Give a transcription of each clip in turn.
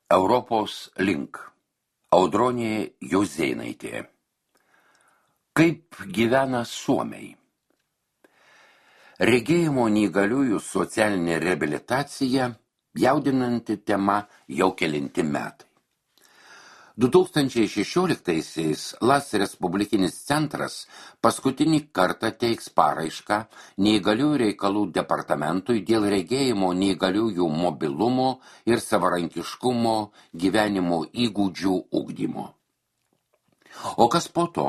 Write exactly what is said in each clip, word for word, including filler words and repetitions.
Europos link. Audronė Jozėnaitė. Kaip gyvena suomiai? Regėjimo neįgaliųjų socialinė reabilitacija jaudinanti tema jau kelinti metai. du tūkstančiai šešioliktaisiais LAS Respublikinis centras paskutinį kartą teiks paraišką neįgaliųjų reikalų departamentui dėl regėjimo neįgaliųjų mobilumo ir savarankiškumo gyvenimo įgūdžių ugdymo. O kas po to?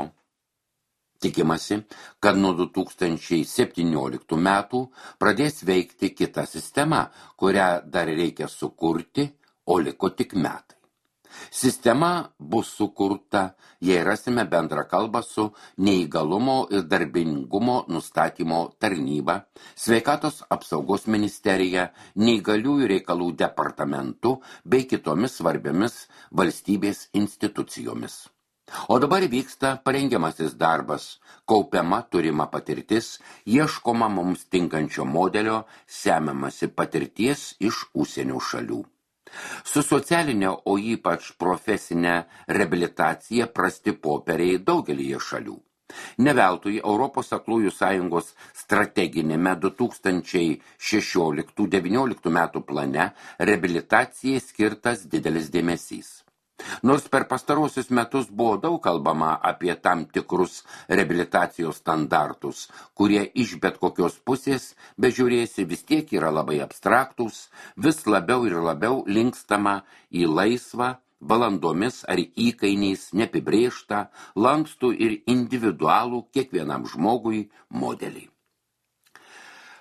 Tikimasi, kad nuo du tūkstančiai septynioliktų metų pradės veikti kita sistema, kurią dar reikia sukurti, o liko tik metai. Sistema bus sukurta, jei rasime bendrą kalbą su neįgalumo ir darbingumo nustatymo tarnyba, sveikatos apsaugos ministerija, neįgaliųjų reikalų departamentu bei kitomis svarbiomis valstybės institucijomis. O dabar vyksta parengiamasis darbas, kaupiama turima patirtis, ieškoma mums tinkančio modelio, semiamasi patirties iš užsienio šalių. Su socialinė, o ypač profesinė reabilitacija prasti popieriai daugelyje šalių. Ne veltui Europos aklųjų sąjungos strateginėme du tūkstančiai šešioliktų devynioliktų metų plane reabilitacijai skirtas didelis dėmesys. Nors per pastarosius metus buvo daug kalbama apie tam tikrus reabilitacijos standartus, kurie iš bet kokios pusės, bežiūrėsi, vis tiek yra labai abstraktus, vis labiau ir labiau linkstama į laisvą, valandomis ar įkainiais neapibrėžtą, lankstų ir individualų kiekvienam žmogui modelį.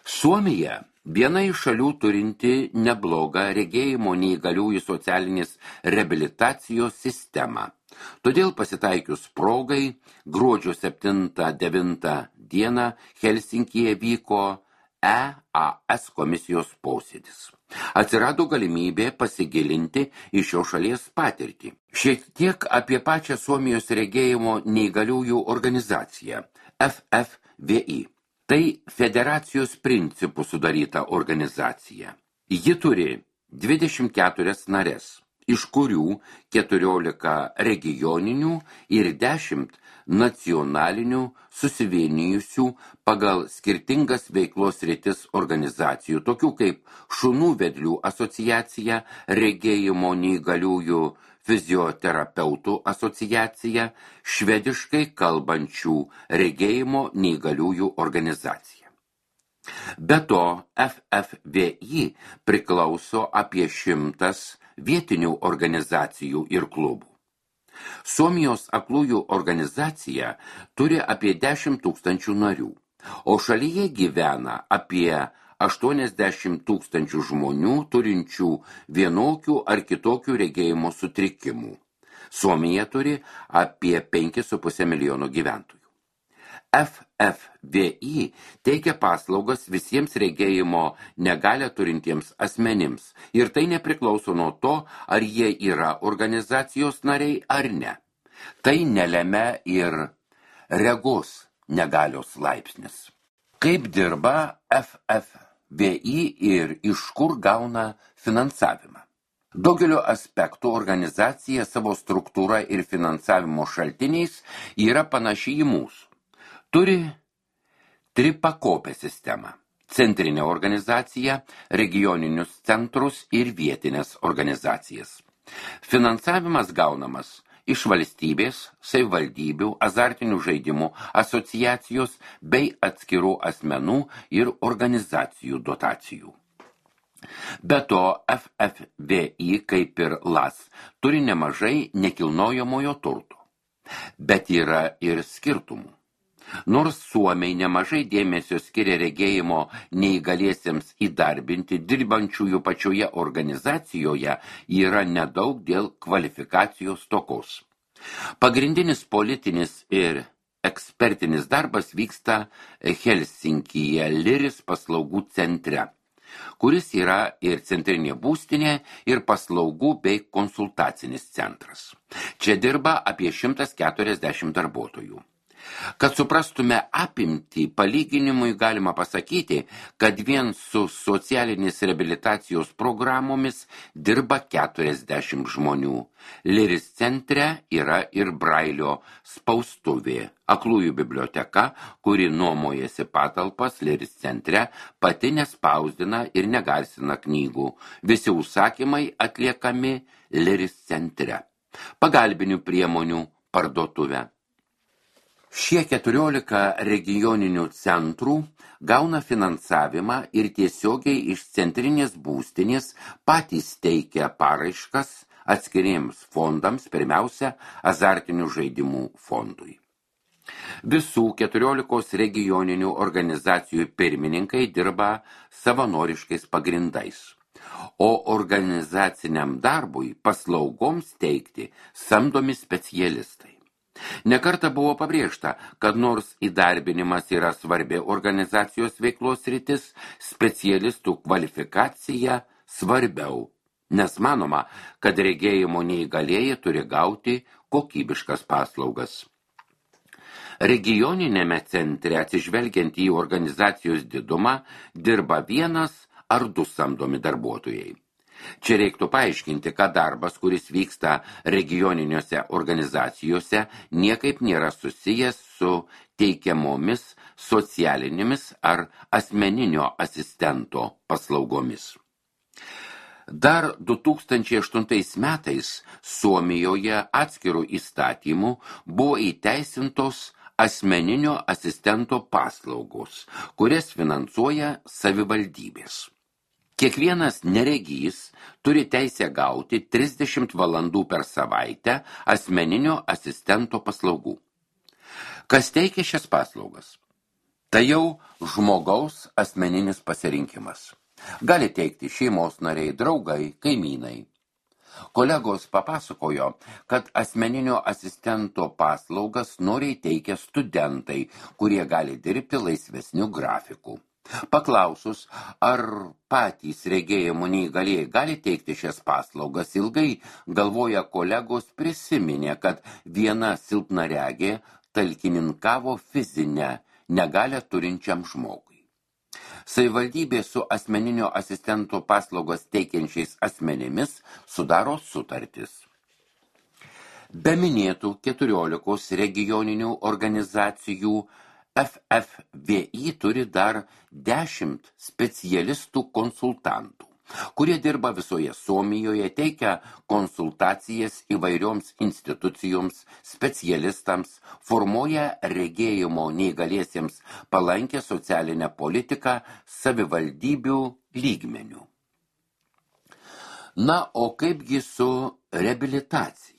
Suomija viena iš šalių turinti neblogą regėjimo neįgaliųjų socialinės reabilitacijos sistemą. Todėl pasitaikius progai, gruodžio septintą devintą dieną Helsinkyje vyko E A S komisijos posėdis. Atsirado galimybė pasigilinti į šios šalies patirtį. Šiek tiek apie pačią Suomijos regėjimo neįgaliųjų organizaciją F F V I. Tai federacijos principų sudaryta organizacija. Ji turi dvidešimt keturias nares, iš kurių keturiolika regioninių ir dešimt nacionalinių susivienijusių pagal skirtingas veiklos sritis organizacijų, tokių kaip Šunų vedlių asociacija, regėjimo neįgaliųjų fizioterapeutų asociacija, švediškai kalbančių regėjimo neįgaliųjų organizacija. Be to, F F V I priklauso apie šimtas vietinių organizacijų ir klubų. Suomijos aklųjų organizacija turi apie dešimt tūkstančių narių, o šalyje gyvena apie aštuoniasdešimt tūkstančių žmonių turinčių vienokių ar kitokių regėjimo sutrikimų. Suomija turi apie penkis su puse milijono gyventojų. F F V I teikia paslaugas visiems regėjimo negalią turintiems asmenims ir tai nepriklauso nuo to, ar jie yra organizacijos nariai ar ne. Tai nelemia ir regos negalios laipsnis. Kaip dirba F F V I ir iš kur gauna finansavimą? Daugelio aspektų organizacija savo struktūra ir finansavimo šaltiniais yra panaši į mūsų. Turi tripakopę sistemą – centrinę organizaciją, regioninius centrus ir vietinės organizacijas. Finansavimas gaunamas iš valstybės, savivaldybių, azartinių žaidimų asociacijos bei atskirų asmenų ir organizacijų dotacijų. Be to, F F V I, kaip ir LAS, turi nemažai nekilnojamojo turto. Bet yra ir skirtumų. Nors suomiai nemažai dėmesio skiria regėjimo neįgaliesiems įdarbinti, dirbančiųjų pačioje organizacijoje yra nedaug dėl kvalifikacijos stokos. Pagrindinis politinis ir ekspertinis darbas vyksta Helsinkyje Liris paslaugų centre, kuris yra ir centrinė būstinė, ir paslaugų bei konsultacinis centras. Čia dirba apie šimtas keturiasdešimt darbuotojų. Kad suprastume apimtį, palyginimui galima pasakyti, kad vien su socialinės reabilitacijos programomis dirba keturiasdešimt žmonių. Liris centre yra ir Brailio spaustuvė, aklųjų biblioteka, kuri nuomojasi patalpas Liris centre, pati nespausdina ir negarsina knygų. Visi užsakymai atliekami Liris centre. Pagalbinių priemonių parduotuvė. Šie keturiolika regioninių centrų gauna finansavimą ir tiesiogiai iš centrinės būstinės patys teikia paraiškas atskiriems fondams, pirmiausia, azartinių žaidimų fondui. Visų keturiolikos regioninių organizacijų pirmininkai dirba savanoriškais pagrindais, o organizaciniam darbui paslaugoms teikti samdomi specialistai. Nekarta buvo pabrėžta, kad nors įdarbinimas yra svarbi organizacijos veiklos sritis, specialistų kvalifikacija svarbiau, nes manoma, kad regėjimo neįgalieji turi gauti kokybiškas paslaugas. Regioninėme centre, atsižvelgiant į organizacijos didumą, dirba vienas ar du samdomi darbuotojai. Čia reiktų paaiškinti, kad darbas, kuris vyksta regioniniuose organizacijose, niekaip nėra susijęs su teikiamomis socialinėmis ar asmeninio asistento paslaugomis. Dar du tūkstančiai aštuntais metais Suomijoje atskirų įstatymų buvo įteisintos asmeninio asistento paslaugos, kurias finansuoja savivaldybės. Kiekvienas neregys turi teisę gauti trisdešimt valandų per savaitę asmeninio asistento paslaugų. Kas teikia šias paslaugas? Tai jau žmogaus asmeninis pasirinkimas. Gali teikti šeimos nariai, draugai, kaimynai. Kolegos papasakojo, kad asmeninio asistento paslaugas noriai teikia studentai, kurie gali dirbti laisvesnių grafikų. Paklausus, ar patys regėjimo neįgalieji gali teikti šias paslaugas, ilgai galvoja kolegos prisiminė, kad viena silpnaregė talkininkavo fizinę negalią turinčiam žmogui. Savivaldybė su asmeninio asistento paslaugas teikiančiais asmenimis sudaro sutartis. Be minėtų keturiolikos regioninių organizacijų F F V I turi dar dešimt specialistų konsultantų, kurie dirba visoje Suomijoje, teikia konsultacijas įvairioms institucijoms, specialistams, formuoja regėjimo neįgaliesiems palankę socialinę politiką savivaldybių lygmenių. Na, o kaipgi su reabilitacija?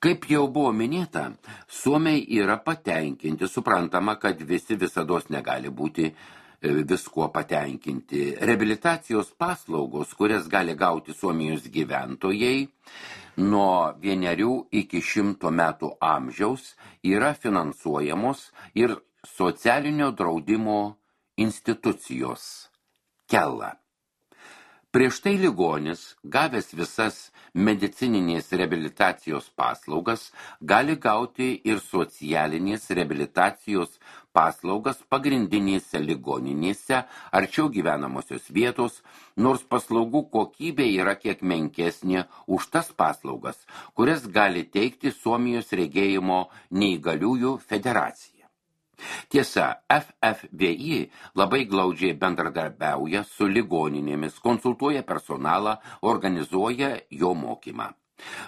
Kaip jau buvo minėta, suomiai yra patenkinti, suprantama, kad visi visados negali būti viskuo patenkinti. Reabilitacijos paslaugos, kurias gali gauti Suomijos gyventojai nuo vienerių iki šimto metų amžiaus, yra finansuojamos ir socialinio draudimo institucijos Kela. Prieš tai ligonis, gavęs visas medicininės reabilitacijos paslaugas, gali gauti ir socialinės reabilitacijos paslaugas pagrindinėse ligoninėse, arčiau gyvenamosios vietos, nors paslaugų kokybė yra kiek menkesnė už tas paslaugas, kurias gali teikti Suomijos regėjimo neįgaliųjų federacija. Tiesa, F F V I labai glaudžiai bendradarbiauja su ligoninėmis, konsultuoja personalą, organizuoja jo mokymą.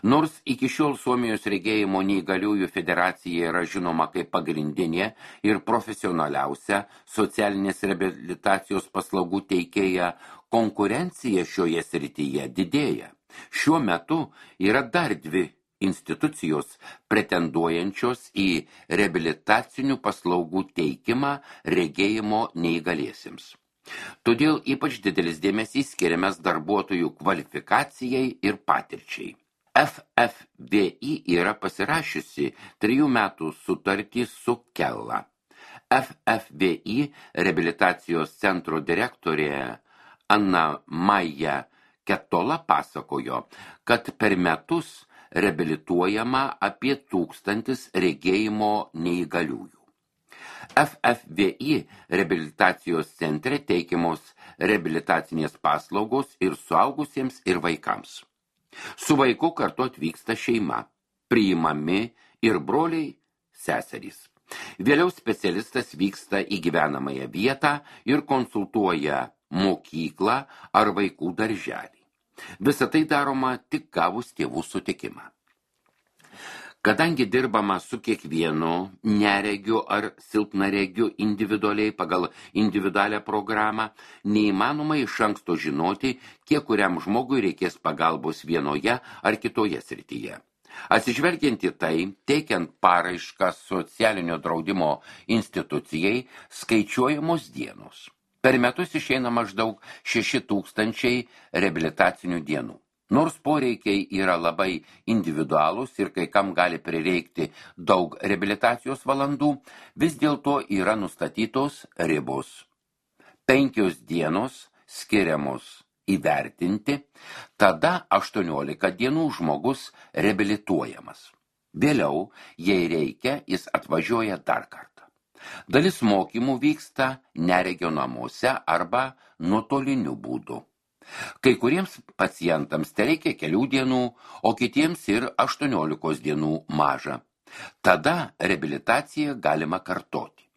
Nors iki šiol Suomijos regėjimo neįgaliųjų federacija yra žinoma kaip pagrindinė ir profesionaliausia socialinės reabilitacijos paslaugų teikėja, konkurencija šioje srityje didėja. Šiuo metu yra dar dvi institucijos pretenduojančios į reabilitacinių paslaugų teikimą regėjimo neįgaliesiems. Todėl ypač didelis dėmesys skiriamas darbuotojų kvalifikacijai ir patirčiai. F F V I yra pasirašiusi trijų metų sutartį su Kela. F F V I reabilitacijos centro direktorė Anna Maja Ketola pasakojo, kad per metus reabilituojama apie tūkstantis regėjimo neįgaliųjų. F F V I reabilitacijos centre teikiamos reabilitacinės paslaugos ir suaugusiems ir vaikams. Su vaiku kartu atvyksta šeima, priimami ir broliai, seserys. Vėliau specialistas vyksta į gyvenamąją vietą ir konsultuoja mokyklą ar vaikų darželį. Visa tai daroma tik gavus tėvų sutikimą. Kadangi dirbama su kiekvienu neregiu ar silpnaregiu individualiai pagal individualią programą, neįmanoma iš anksto žinoti, kiek kuriam žmogui reikės pagalbos vienoje ar kitoje srityje. Atsižvelgiant į tai, teikiant paraišką socialinio draudimo institucijai, skaičiuojamos dienos. Per metus išeina maždaug šeši tūkstančiai reabilitacinių dienų. Nors poreikiai yra labai individualūs ir kai kam gali prireikti daug reabilitacijos valandų, vis dėlto yra nustatytos ribos. Penkios dienos skiriamos įvertinti, tada aštuoniolika dienų žmogus reabilituojamas. Vėliau, jei reikia, jis atvažiuoja dar kartą. Dalis mokymų vyksta neregio namuose arba nuotoliniu būdu. Kai kuriems pacientams tereikia kelių dienų, o kitiems ir aštuoniolikos dienų maža. Tada reabilitaciją galima kartoti.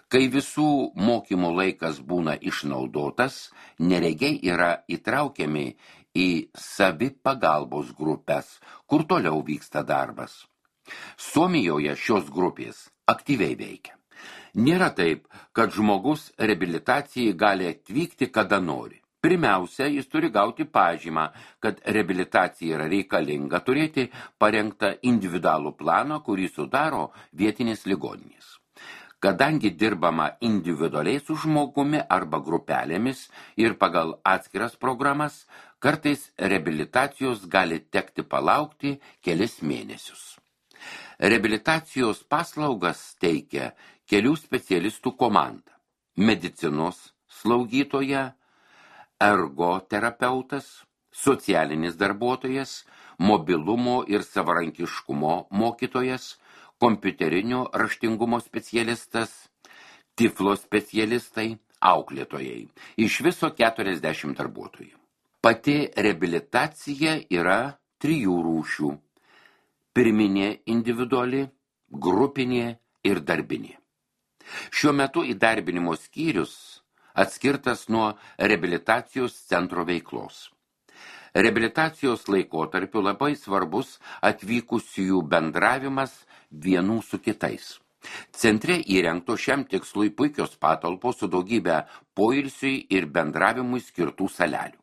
Kai visų mokymų laikas būna išnaudotas, neregiai yra įtraukiami į savipagalbos grupės, kur toliau vyksta darbas. Suomijoje šios grupės aktyviai veikia. Nėra taip, kad žmogus reabilitacijai gali atvykti kada nori. Pirmiausia, jis turi gauti pažymą, kad reabilitacija yra reikalinga, turėti parengtą individualų planą, kurį sudaro vietinės ligoninės. Kadangi dirbama individualiai su žmogumi arba grupelėmis ir pagal atskiras programas, kartais reabilitacijos gali tekti palaukti kelis mėnesius. Reabilitacijos paslaugas teikia kelių specialistų komanda – medicinos slaugytoja, ergoterapeutas, socialinis darbuotojas, mobilumo ir savarankiškumo mokytojas, kompiuterinio raštingumo specialistas, tiflo specialistai, auklėtojai. Iš viso keturiasdešimt darbuotojų. Pati reabilitacija yra trijų rūšių. Pirminė individuali, grupinė ir darbinė. Šiuo metu įdarbinimo skyrius atskirtas nuo reabilitacijos centro veiklos. Reabilitacijos laikotarpiu labai svarbus atvykusiųjų bendravimas vienų su kitais. Centre įrengto šiam tikslui puikios patalpos su daugybė poilsiui ir bendravimui skirtų salelių.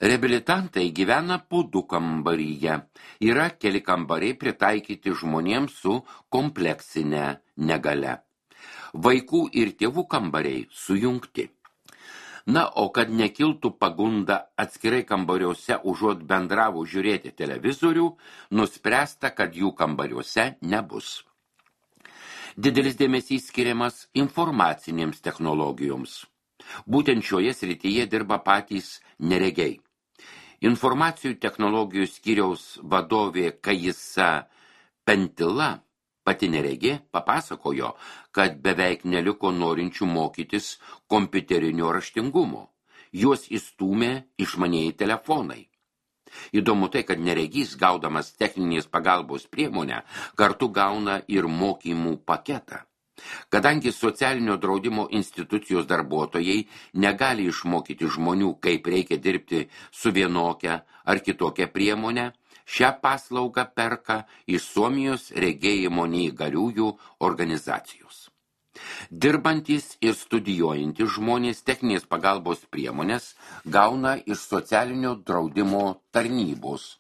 Reabilitantai gyvena po du kambaryje. Yra keli kambariai pritaikyti žmonėms su kompleksinė negale. Vaikų ir tėvų kambariai sujungti. Na, o kad nekiltų pagunda atskirai kambariuose užuot bendravo žiūrėti televizorių, nuspręsta, kad jų kambariuose nebus. Didelis dėmesys skiriamas informacinėms technologijoms. Būtent šioje srityje dirba patys neregiai. Informacijų technologijų skyriaus vadovė Kajisa Pentila, pati neregė, papasakojo, kad beveik neliko norinčių mokytis kompiuterinio raštingumo. Juos įstūmė išmanieji telefonai. Įdomu tai, kad neregys, gaudamas techninės pagalbos priemonę, kartu gauna ir mokymų paketą. Kadangi socialinio draudimo institucijos darbuotojai negali išmokyti žmonių, kaip reikia dirbti su vienokia ar kitokia priemonė, šią paslaugą perka iš Suomijos regėjimo neįgaliųjų organizacijos. Dirbantys ir studijuojantys žmonės techninės pagalbos priemonės gauna iš socialinio draudimo tarnybos,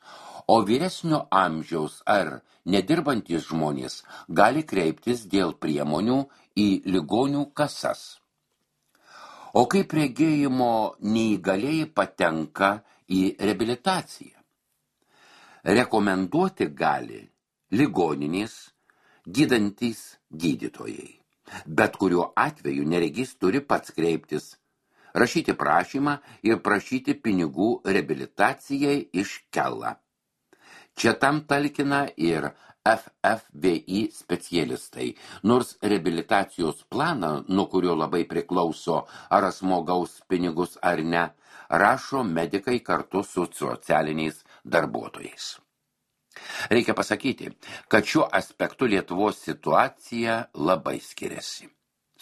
o vyresnio amžiaus ar nedirbantys žmonės gali kreiptis dėl priemonių į ligonių kasas. O kaip regėjimo neįgalieji patenka į reabilitaciją? Rekomenduoti gali ligoninės gydantys gydytojai. Bet kuriuo atveju neregys turi pats kreiptis, rašyti prašymą ir prašyti pinigų reabilitacijai iš Kela. Čia tam talkina ir F F V I specialistai, nors reabilitacijos planą, nuo kurio labai priklauso, ar asmuo gaus pinigus ar ne, rašo medikai kartu su socialiniais darbuotojais. Reikia pasakyti, kad šiuo aspektu Lietuvos situacija labai skiriasi.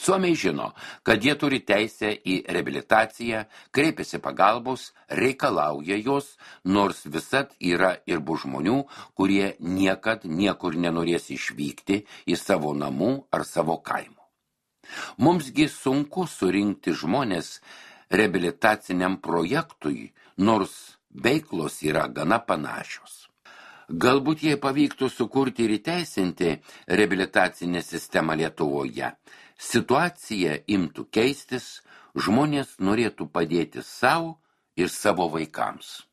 Suomiai žino, kad jie turi teisę į reabilitaciją, kreipiasi pagalbos, reikalauja jos, nors visad yra ir bus žmonių, kurie niekad niekur nenorės išvykti į savo namų ar savo kaimo. Mumsgi sunku surinkti žmonės reabilitaciniam projektui, nors veiklos yra gana panašios. Galbūt jei pavyktų sukurti ir įteisinti reabilitacinę sistemą Lietuvoje, situacija imtų keistis, žmonės norėtų padėti savo ir savo vaikams.